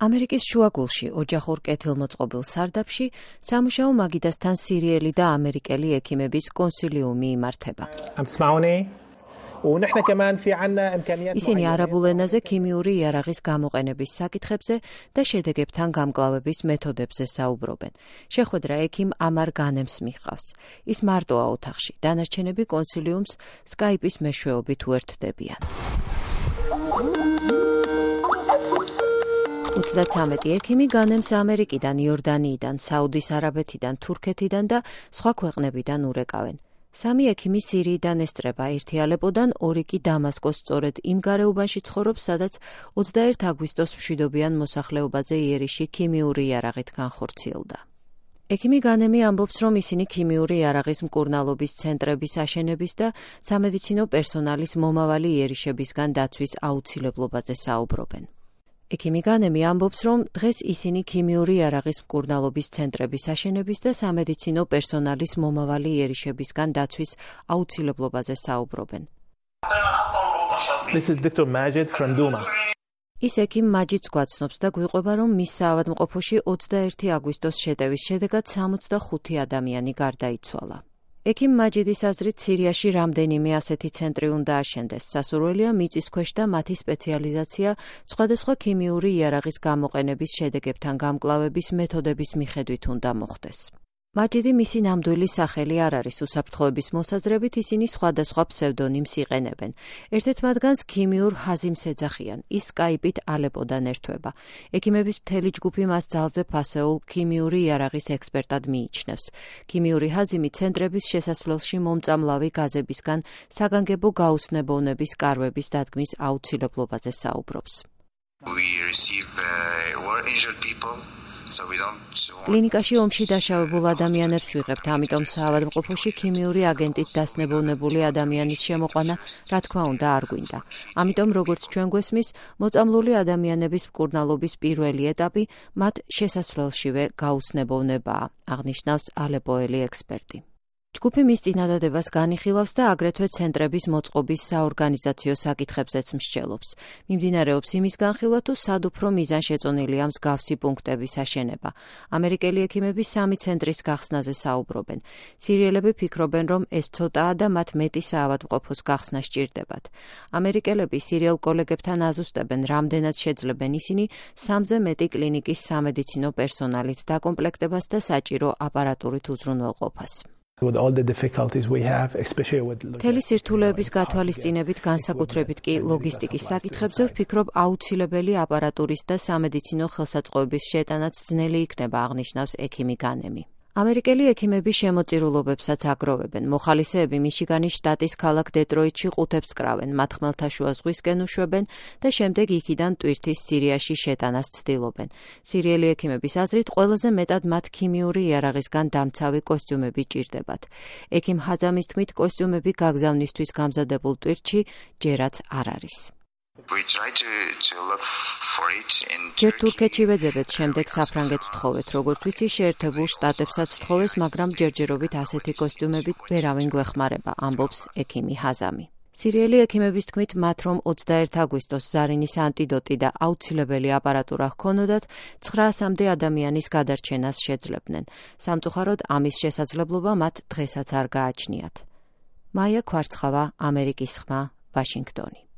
ამერიკის შუაგულში, ოჯახურ კეთილმოწყობილ სარდაფში, სამუშაო მაგიდასთან სირიელი და ამერიკელი ექიმების კონსილიუმი იმართება. ისინი არაბულ ენაზე ქიმიური იარაღის გამოყენების საკითხებზე და შედეგებთან გამკლავების მეთოდებზე საუბრობენ. შეხვედრა ექიმ ამარ განემს მიჰყავს. ის მარტოა ოთახში, დანარჩენები კონსილიუმს სკაიპის მეშვეობით უერთდებიან. 33 ექიმი განემს ამერიკიდან, იორდანიიდან, საუდის არაბეთიდან, თურქეთიდან და სხვა ქვეყნებიდან ურეკავენ. 3 ექიმი სირიიდან ესწრება, 1 ალეპოდან, 2 კი დამასკოს, სწორედ იმ გარეუბანში ცხოვრობს, სადაც 21 აგვისტოს მშვიდობიან მოსახლეობაზე იერიში ქიმიური იარაღით განხორციელდა. ექიმი განემი ამბობს, რომ ისინი ქიმიური იარაღის მკურნალობის ცენტრების აშენების და სამედიცინო პერსონალის მომავალი იერიშებისგან დაცვის აუცილებლობაზე საუბრობენ. ექიმი განემი ამბობს, რომ დღეს ისინი ქიმიური იარაღის მკურნალობის ცენტრების აშენების და სამედიცინო პერსონალის მომავალი იერიშებისგან დაცვის აუცილებლობაზე საუბრობენ. This is Dr. Majid from Duma. ის ექიმ მაჯიდს გვაცნობს და გვიყვება, რომ მის საავადმყოფოში 21 აგვისტოს შეტევის შედეგად 65 ადამიანი გარდაიცვალა. ექიმ მაჯიდის აზრით, სირიაში რამდენიმე ასეთი ცენტრი უნდა აშენდეს. სასურველია მიწისქვეშ და მათი სპეციალიზაცია სხვადასხვა ქიმიური იარაღის გამოყენების შედეგებთან გამკლავების მეთოდების მიხედვით უნდა მოხდეს. მაჯიდი მისი ნამდვილი სახელი არ არის, უსაფრთხოების მოსაზრებით ისინი სხვადასხვა ფსევდონიმს იყენებენ. ერთ-ერთ მათგანს ქიმიურ ჰაზიმს ეძახიან, ის სკაიპით ალეპოდან ერთვება. ექიმების მთელი ჯგუფი მას ძალზე ფასეულ ქიმიური იარაღის ექსპერტად მიიჩნევს. ქიმიური ჰაზიმი ცენტრების შესასვლელში მომწამლავი გაზებისგან საგანგებო გაუცნებოვნების კარვების დადგმის აუცილებლობაზე საუბრობს. კლინიკაში ომში დაშავებულ ადამიანებს ვიღებთ, ამიტომ საავადმყოფოში ქიმიური აგენტით დასნებოვნებული ადამიანის შემოყვანა, რა თქმა უნდა, არ გვინდა. ამიტომ, როგორც ჩვენ გვესმის, მოწამლული ადამიანების მკურნალობის პირველი ეტაპი მათ შესასვლელშივე გაუცნებოვნებაა, აღნიშნავს ალეპოელი ექსპერტი. ჯგუფი მის წინადადებას განიხილავს და აგრეთვე ცენტრების მოწყობის საორგანიზაციო საკითხებზეც მსჯელობს. მიმდინარეობს იმის განხილვა, თუ სად უფრო მიზანშეწონილია მსგავსი პუნქტების აშენება. ამერიკელი ექიმები 3 ცენტრის გახსნაზე საუბრობენ. სირიელები ფიქრობენ, რომ ეს ცოტაა და მათ მეტი საავადმყოფოს გახსნა სჭირდებათ. ამერიკელები სირიელ კოლეგებთან აზუსტებენ, რამდენად შეძლებენ ისინი 3-ზე მეტი კლინიკის სამედიცინო პერსონალით დაკომპლექტებას და საჭირო აპარატურით უზრუნველყოფას. მთელი სირთულეების გათვალისწინებით, განსაკუთრებით კი ლოგისტიკის საკითხებზე ვფიქრობ, აუცილებელი აპარატურის და სამედიცინო ხელსაწყოების შეტანაც ძნელი იქნება, აღნიშნავს ექიმი განემი. ამერიკელი ექიმები შემოწირულობებსაც აგროვებენ. მოხალისეები მიშიგანის შტატის ქალაქ დეტროიტში ყუთებს კრავენ, მათ ხმელთაშუა ზღვისკენ უშვებენ და შემდეგ იქიდან ტვირთის სირიაში შეტანას ცდილობენ. სირიელი ექიმების აზრით, ყველაზე მეტად მათ ქიმიური იარაღისგან დამცავი კოსტიუმები ჭირდებათ. ექიმ ჰაზამის თქმით, კოსტიუმები გაგზავნისთვის გამზადებულ ტვირთში ჯერაც არ არის. ჯერ თურქეთში ვეძებეთ, შემდეგ საფრანგეთს ვთხოვეთ, როგორც ვიცი, შეერთებულ შტატებსაც ვთხოვეს, მაგრამ ჯერჯერობით ასეთი კოსტიუმებით ვერავინ გვეხმარება, ამბობს ექიმი ჰაზამი. სირიელი ექიმების თქმით, მათ რომ 21 აგვისტოს ზარინის ანტიდოტი და აუცილებელი აპარატურა ჰქონოდათ, 900-მდე ადამიანის გადარჩენას შეძლებდნენ. სამწუხაროდ, ამის შესაძლებლობა მათ დღესაც არ გააჩნიათ. მაია ქვარცხავა, ამერიკის ხმა, ვაშინგტონი.